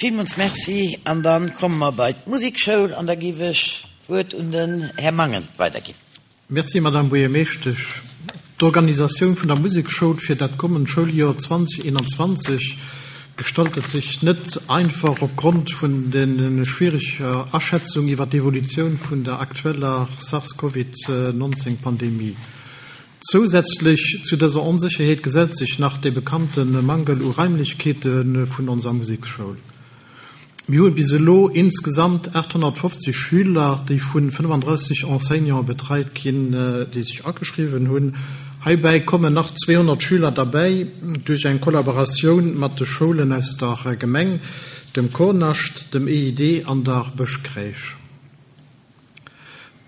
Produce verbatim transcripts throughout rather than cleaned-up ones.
Villmools Merci. An da komme mer bei d'Musekschoul an da géif ech d'Wuert un den Här Mangen weiderginn. Merci, Madame Buergermeeschtesch. D'Organisatioun vun der Musekschoul fir dat kommend Schouljoer zweedausendeenanzwanzeg gestaltet sech net einfach opgrond vun de schwiereger Aschätzung iwwer d'Evolutioun vun der aktueller SARS-CoV neunzehn Pandemie. Zousätzlech zu dëser Onsécherheet gesellt sech nach de bekannte Mangel u Raimlechkeete vun onser Musekschoul. Mir hunn bis elo insgesamt aathonnertfofzeg Schüler, déi vu fënnefandrësseg Enseignante betreit ginn, déi sech ageschriwwen hunn. Heibäi kommen nach zweehonnert Schüler derbäi duerch eng Kollaboratioun mat de Schoulen aus der Gemeng, dem Kornascht, dem E I D an der Bëschkräisch.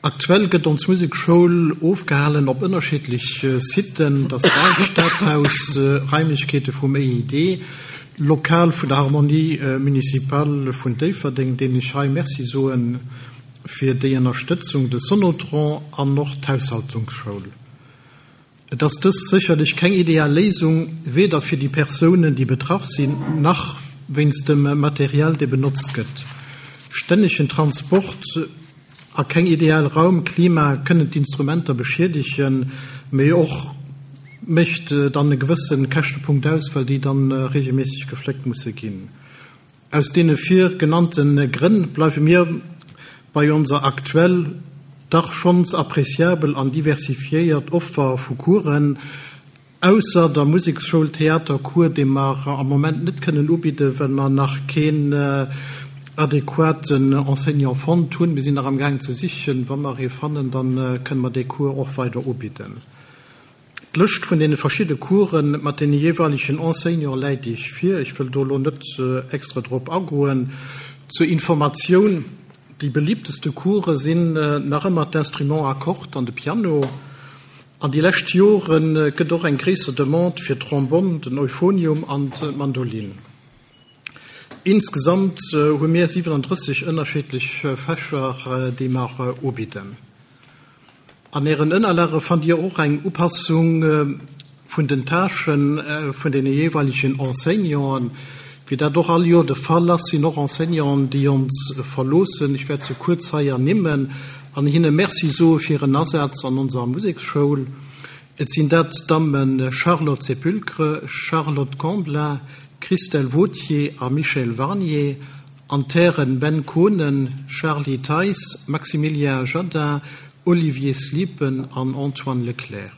Aktuell gëtt ons Musekschoul ofgehalen op ënnerschiddleche Siten, dat Stadhaus, Raimlechkeete vum E I D, Lokal vun der Harmonie municipale vun Déifferdeng, deenen ech hei Merci soen fir déi Ënnerstëtzung, de Sonotron an och d'Haushaltungsschoul. Et ass dës sécherlech keng ideal Léisung, weder fir déi Persounen, déi betraff sinn, nach wéinst dem Material, dee benotzt gëtt. Stännegen Transport a keng ideal Raumklima kënnen d'Instrumenter beschiedegen, mee och mécht dann e gewësse Käschtepunkt aus, well déi dann regelméisseg gefléckt musse ginn. Aus deene vir genannte Grënn bleiwe mir bei onser aktuell dach schonns appréciabel an diversifiéiert Offer vu Coursen, ausser der Musekschoul Theatercours, dee mer am Moment net kënnen ubidden, well mer nach keen adequaten Enseignant fonnt hunn. Mir sinn nach am Gaang ze sichen. Wa mer ee fannen, dann kënne mer dee Cours och weider ubidden. D'Lëscht vun deene verschiddene Coursen mat den jeeweilegen Enseignante läit iech vir. Ech wëll do lo net extra drop agoen. Zur Informatioun: Déi beliebteste Course sinn nach ëmmer d'Instrument à cordes an de Piano. An déi lescht Jore gëtt och eng gréisser Demande fir Trombonn, den Euphonium an d'Mandolin. Insgesamt hu mir siwenandrësseg ënnerschiddlech Fächer, déi mer ubidden. An Ären Ënnerlage fannt Dir och eng Upassung vun den Tâchen vun den jeeweilegen Enseignanten. Wéi dat och all Joer de Fall ass, sinn och Enseignanten, déi ons verloossen. Ech wäert se kuerz hei ernimmen an hinne Merci soe fir hiren Asaz an onser Museksschoul. Et sinn dat d'Damme Charlotte Sepulcre, Charlotte Camblin, Christelle Vautier a Michel Warnier, an d'Hären Ben Kohnen, Charlie Theis, Maximilien Jadin, Olivier Sliepen an Antoine Leclerc.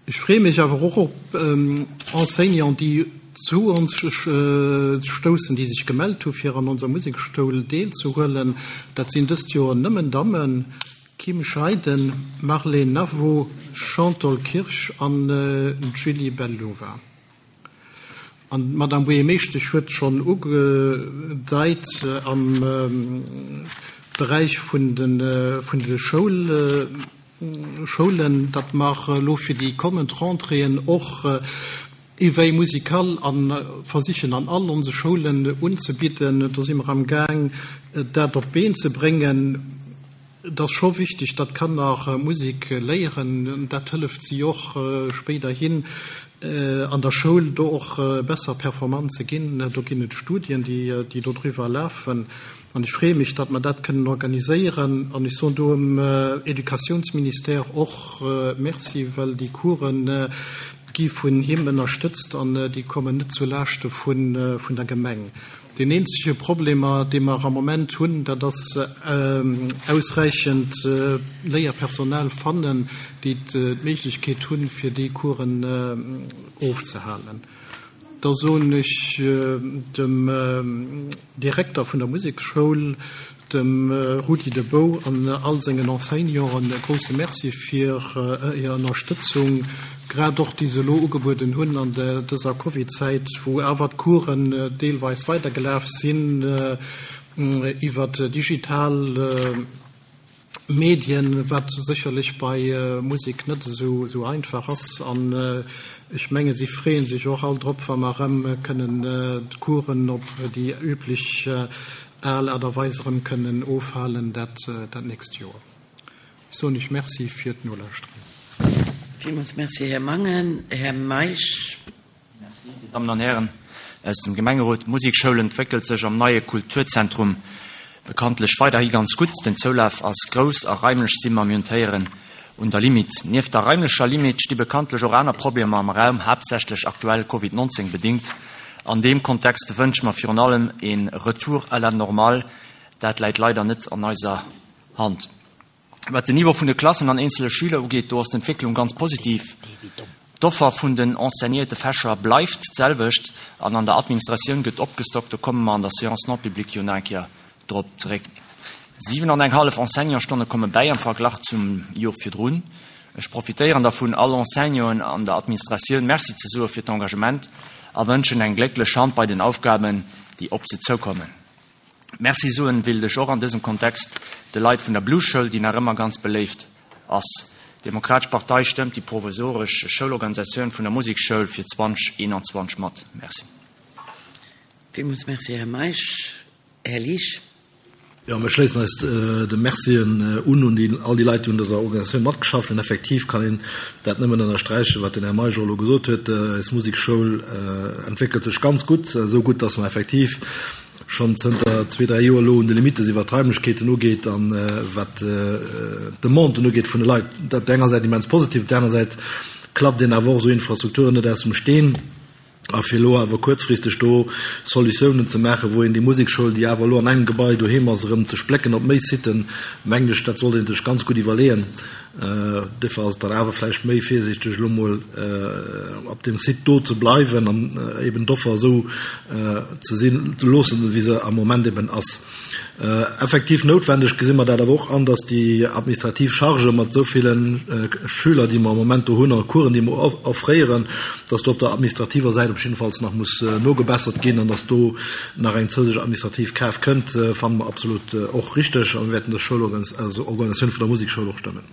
Ech freeë mech awer och op ähm, Enseignanten, déi zu ons stoussen, déi sech gemellt hu fir an onser Museksschoul deelzehuelen. Dat sinn dëst Joer nëmmen Dammen: Kim Scheiden, Marlene Navo, Chantal Kirch an äh, Julie Bellova. An d'Madame Buergermeeschtesch huet schonn ugedeit äh, am ähm, Beräich vun den äh, vun de Schoul äh, Schoulen, dat mer lo fir déi kommend Rentréeën och äh, Éveil musical an versichen an all onse Schoulen unzebidden. Do si mer am Gaang, dat op d'Been ze bréngen. Dat ass scho wichteg, datt Kanner Musek léieren. Dat hëlleft si och spéiderhin an der Schoul do och besser performant ze ginn. Do ginn et Studien, déi déi dodriwwer lafen. An ech freeë mech, datt mer dat kënnen organiséieren. An ech soen do dem Educatiounsministère och Merci, well déi Coursen gi vun him ënnerstëtzt an déi kommen net zu Laaschte vun vun der Gemeng. Den eenzege Problem, dee mer am Moment hunn, dat ass ausräichend Léierpersonal fannen, déi d'Méiglechkeet hunn, fir déi Coursen ofzehalen. Da soen ech dem Direkter vun der Museksschoul, dem Rudi De Bouw, an all sengen Enseignanten e grousse Merci fir hir Ënnerstëtzung, grad och déi se elo ugebueden hunn an dëser Covid-Zäit, wou awer d'Coursen deelweis weidergelaf sinn iwwer digital Medien, wat sécherlech bei Musek net esou esou einfach ass. An ech menge si freeën sech och all drop, wa mer erëm kënnen d'Coursen op déi üblech al Aart a Weis erëm kënnen ofhalen dat dat nächst Joer. Ech soen iech Merci fir d'Nolauschteren. Villmools Merci, Här Mangen. Här Meisch. Merci, Dir Dammen an Hären. aus dem Gemengerot. D'Musekschoul entwéckelt sech am neie Kulturzentrum bekanntlech weiderhi ganz gutt. Den Zoulaf ass grouss a raimlech si mer, mir hunn d'Héieren, un der Limite. Nieft der raimlecher Limite sti bekanntlech och aner Problemer am Raum, haaptsächlech aktuell Covid nonzéng bedingt. An deem Kontext wënsche mer virun allem ee Retour à la normale. Dat läit leider net an eiser Hand. Wat den Niveau vun de Klassen an eenzele Schüler ugeet, do ass d'Entwécklung ganz positiv. D'Offer vun den enseignéierte Fächer bleift d'selwecht an an der Administratioun gëtt opgestockt. Do komme mer an der Séance non publique jo nach eng Kéier drop zeréck. Siwen an eng hallef Enseignantsstonne komme bäi am Verglach zum Jor virdrun. Ech profitéieren dervun, all Enseignanten an der Administratioun Merci ze soe fir d'Engagement a wënschen eng glécklech Hand bei den Aufgaben, déi op se zoukommen. Merci soen wéilt ech och an dësem Kontext de Leit vun der Blueschoul, déi nach ëmmer ganz beléift ass. D'Demokratesch Partei stëmmt déi provisoresch Schoulorganisatioun vun der Musekschoul fir zwanzeg eenanzwanzeg mat. Merci. Villmools Merci, Här Meisch. Här Liesch. Jo, mir schléissen eis de Mercien un un déi, all déi Leit, déi un dëser Organisatioun matgeschafft hunn. Effektiv kann een dat nëmmen ënnersträichen, wat den Här Meisch och elo gesot huet. Eis Musekschoul entwéckelt sech ganz gutt, esou gutt, dass mer effektiv schonn zënter zwee, dräi Joer elo un de Limitte sinn, wat d'Raimlechkeeten ugeet an wat d'Demanden ugeet vun de Leit. Dat op der enger Säit immens positiv, op der aner Säit klappt een awer och esou Infrastrukturen net aus dem Steen. A fir elo awer kuerzfristeg do Solutiounen ze maachen, wou een déi Musekschoul, déi awer elo an engem Gebai doheem ass, erëm ze splécken op méi Siten, mengen ech, dat sollt ee sech ganz gutt iwwerleeën. Duerfir ass et dann awer vläicht méi virsiichteg, elo emol op deem Site do ze bleiwen an eben d'Offer esou ze sinn ze loossen, wéi se am Moment eben ass. Effektiv noutwendeg gesi mer dat awer och an, dass déi administrativ Chargë mat esou ville Schüler, déi mer am Moment do hunn, a Coursen, déi mer offréieren, dass do op der administrativer Säit op jiddefalls nach muss nogebessert ginn an dass do nach eng zousätzlech administrativ Kraaft kënnt, fanne mer absolut och richteg a mir wäerten dës Schoulorganisatioun vun der Musekschoul och stëmmen.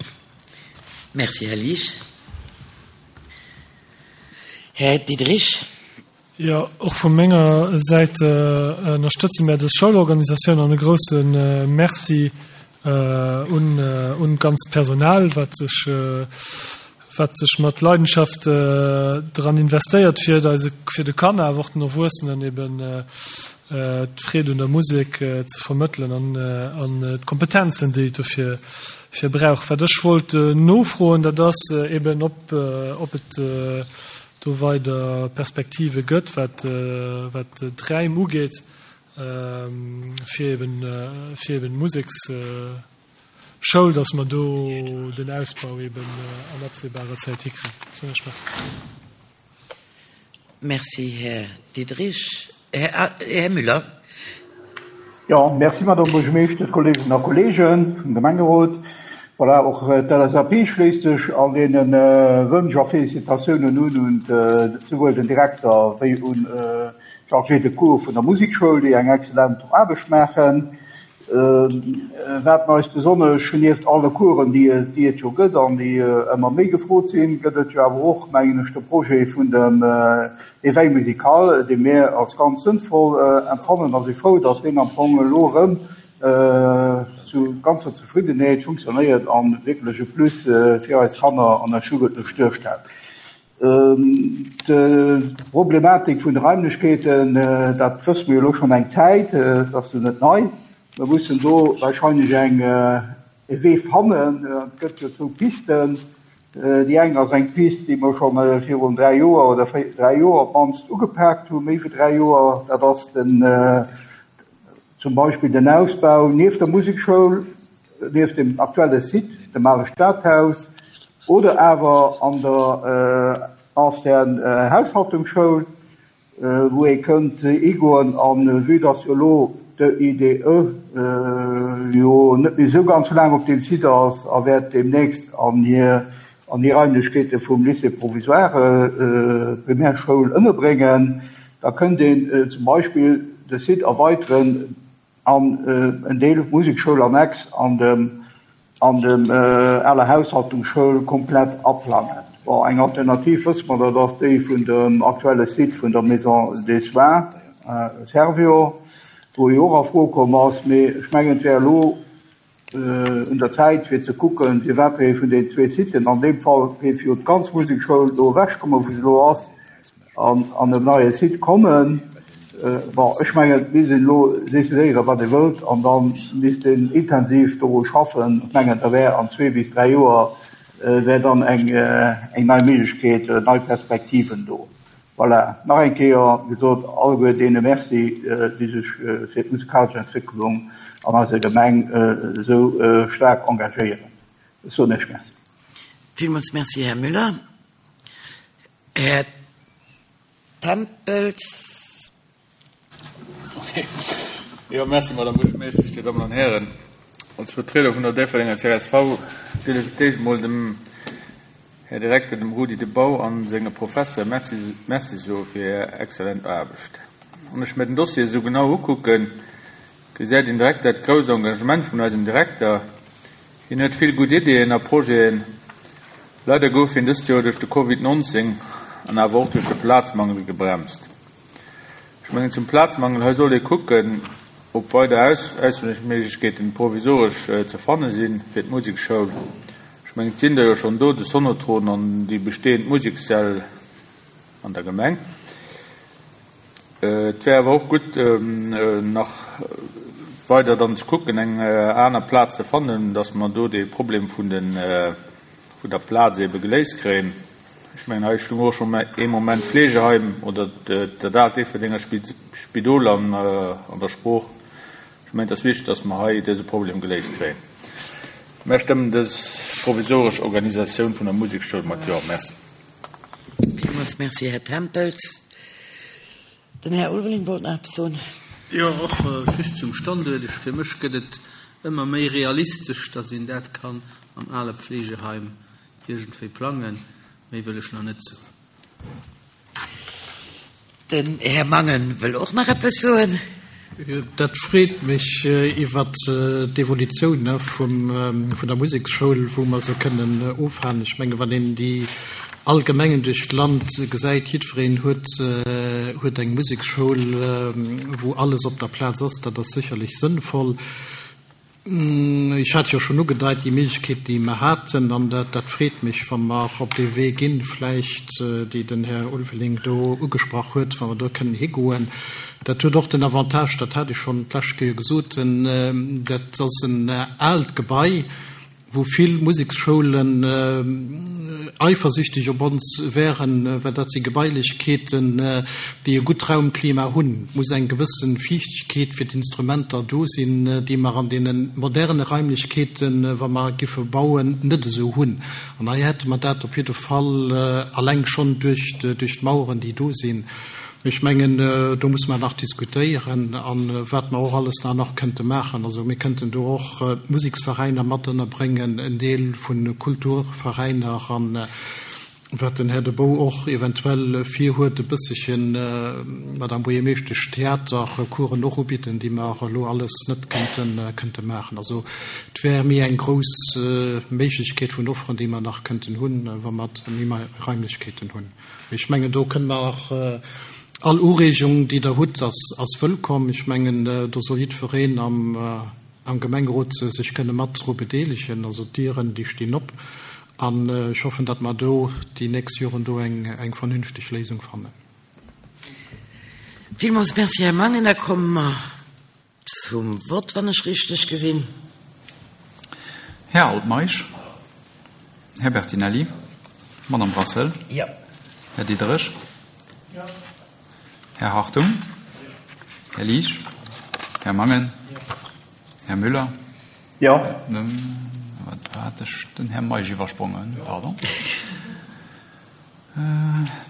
Merci, Här Liesch. Här Diderich. Jo, och vu menger Säit ënnerstëtze mär dës Schoulorganisatioun an e grousse Merci un un d'ganzt Personal, wat sech wat sech mat Leidenschaft dran investéiert, fir eise fir de Kanner, awer och den Erwuessenen eben d'Freed un der Musek ze vermëttelen an an d'Kompetenzen, déi et dofir fir brauch. Wat ech wollt nofroen, dat ass eben, ob ob et do weider Perspektive gëtt, wat wat d'Räim ugeet, fir eben fir eben d'Museksschoul, dass mer do den Ausbau eben an absehbarer Zäit hikréien. Soen ech Merci. Merci, Här Diderich. Här, Här Müller. Jo, merci, Madame Buergermeeschter, Kolleeginnen a Kolleegen vum Gemengerot. Voilà, och d'L S A P schléisst sech all deene Wënsch a Félicitatiounen un, un souwuel den Direkter wéi un d'Chargé de cours vun der Musekschoul, déi eng excellent Aarbecht maachen. Wat mer eis besonnesch nieft alle Coursen, déi, déi et jo gëtt an déi ëmmer méi gefrot sinn, gëtt et jo awer och, mengen ech, de Projet vun dem Éveil musical, dee mir als ganz sënnvoll empfannen a si frou, dass deen am Fong elo erëm zu ganzer Zefriddenheet funktionéiert an wierklech e Plus fir eis Kanner an eis Jugendlech duerstellt. D'Problematik vun de Raimlechkeeten, dat wësse mir jo elo schonn eng Zäit, dat ass jo net nei. Mir mussen do wahrscheinlech eng e Wee fannen. Et gëtt jo zwou Pisten. Déi eng ass eng Pist, déi mer scho virun dräi Joer oder dräi Joer op d'mannst ugepaakt hunn, méi wéi dräi Joer. Dat ass den, zum Beispill den Ausbau nieft der Musekschoul, nieft dem aktuelle Site, dem ale Stadhaus, oder awer an der ancienne Haushaltungsschoul, wou ee kënnt higoen. An vue dass jo elo de I D E jo net méi esou ganz laang op deem Site ass a wäert deemnächst an hir, an hir Raimlechkeete vum Lycée provisoire Primärschoul ënnerbréngen, da kënnt een zum Beispill de Site erweiteren an en Deel Musekschoul annex an dem, an dem aler Haushaltungsschoul komplett aplangen. Bon, eng Alternativ wësse mer, dat ass déi vun dem aktuelle Site vun der Maison des Soins, Servior, wou jo och a Fro komm ass, mee ech mengen, et wär elo un der Zäit, fir ze kucken, firwat ee vun den zwee Siten, an deem Fall géif jo d'ganz Musekschoul do ewechkommen, wou se elo ass, an, an en neie Site kommen. Bon, ech mengen, et misst een elo decidéieren, wat ee wëllt, an da misst een intensiv doru schaffen. Ech mengen, da wär an zwee bis dräi Joer wär dann eng eng nei Méiglechkeet, nei Perspektiven do. Voilà, nach eng Kéier gesot, alleguer deene Merci, déi sech fir d'musikalesch Entwécklung an eiser Gemeng esou staark engagéieren. Ech soen Iech Merci. Villmools Merci, Här Müller. Här Tempels. Jo, merci, Madame Buergermeeschtesch, Dir Dammen an Hären. Als Vertrieder vun der Déifferdenger csv wéilt ech fir d'éischt emol dem Här Direkter, dem Rudi De Bauw, a senge Professere Merci, Merci soe fir hir exzellent Aarbecht. Wann ech mir den Dossier esou genau ukucken, gesäit een direkt dat grousst Engagement vun eisem Direkter. Hien huet vill gutt Ideeën a Projeten. Leider gouf hien dëst Joer duerch de Covid nonzéng an awer och duerch de Plazmangel gebremst. Ech mengen zum Plazmangel, hei sollt ee kucken, ob weider Ausweichméiglechkeeten provisoresch ze fanne si fir d'Musekschoul. Ech mengen, et sinn der jo schonn do, de Sonotron an déi bestehend Musekssäll an der Gemeng. Et wär awer och gutt, nach weider dann ze kucken, eng aner Plaz ze fannen, dass mer do dee Problem vun den, vun der Plaz ebe geléist kréien. Ech mengen, hei stoung och schonn ee Moment Fleegeheim oder dat aalt Déifferdenger Spidol an der Sprooch. Ech mengen, et ass wichteg, dass mer hei dëse Problem geléist kréien. Mär stëmmen dës provisoresch Organisatioun vun der Musekschoul mat Jo. Merci. Villmools Merci, Här Tempels. Den Här Ulveling wollt nach eppes soen. Jo, och just zum Standuert. Ech, fir mech gëtt et ëmmer méi realistesch, dass een dat kann am ale Pflegeheim iergendwéi plangen. Méi wëll ech nach net soen. Den Här Mangen wëll och nach eppes soen. Dat freet mech iwwert d'Evolutioun vun der Museksschoul, wou mer se kënnen ofhalen. Ech menge wann een déi all Gemengen duerch d'Land gesäit, jiddwereen huet huet eng Museksschoul, wou alles op der Plaz ass. Dat ass sécherlech sënnvoll. Ech hat jo schonn ugedeit, déi Méiglechkeet, déi mer haten, an dat, dat freet mech, wa mer op dee Wee ginn, vläicht, déi den Här Ulveling do ugesprach huet, wa mer do kënnen higoen. Dat huet och den Avantage, dat hat ech schonn d'lescht Kéier gesot, dat ass en aalt Gebai, wou vill Museksschoulen eifersüchtig op ons wären, well dat si Gebailechkeeten, déi e gutt Raumklima hunn. Et muss eng gewësse Fiichtegkeet fir d'Instrumenter do sinn, déi mer an deene moderne Raimlechkeeten, wa mer giffe bauen, net esou hunn. An hei hätte mer dat op jidde Fall alleng schonn duerch d'Maueren, déi do sinn. Ech mengen, do musse mer nach diskutéieren, a wat mer och alles da nach kënnte maachen. Also mir kënnten do och d'Museksveräiner mat ënnerbréngen, en Deel vu Kulturveräiner, a wat den Här De Bauw och eventuell virhuet, e bësselchen, Madame Buergermeeschtesch, Theatercoursen och ubidden, déi mer elo alles net kënnte, kënnte maachen. Also et wär méi eng grouss Méiglechkeet vun Offeren, déi mer nach kënnten hunn, wa mer méi Raimlechkeeten hunn. Ech mengen, do kënne mer och all Ureegung, déi Der hutt, ass, ass wëllkomm. Ech mengen, do soll jiddwereen am, am Gemengerot sech kënne mat dru bedeelegen. Also d'Dieren, déi stinn op. An ech hoffen, datt mer do déi nächst Joren do eng, eng vernünfteg Léisung fannen. Villmools Merci, Här Mangen. Da komme mer zum Vott, wann ech richteg gesinn. Här Altmeisch, Här Bertinelli, Madame Brassel, Jo. Här Diderich, Jo. Här Hartung, Här Liesch, Här Mangen, Här Müller. Jo. Wat hat ech den Här Meisch iwwersprongen? Pardon.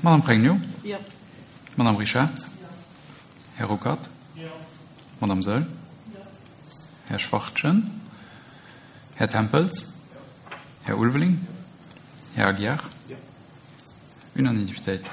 Madame Pregno. Jo. Madame Richard. Här Ruckert. Jo. Madame Saeul. Jo. Här Schwachtgen. Här Tempels. Här Ulveling. Här Aguiar. Jo. Unanimitéit.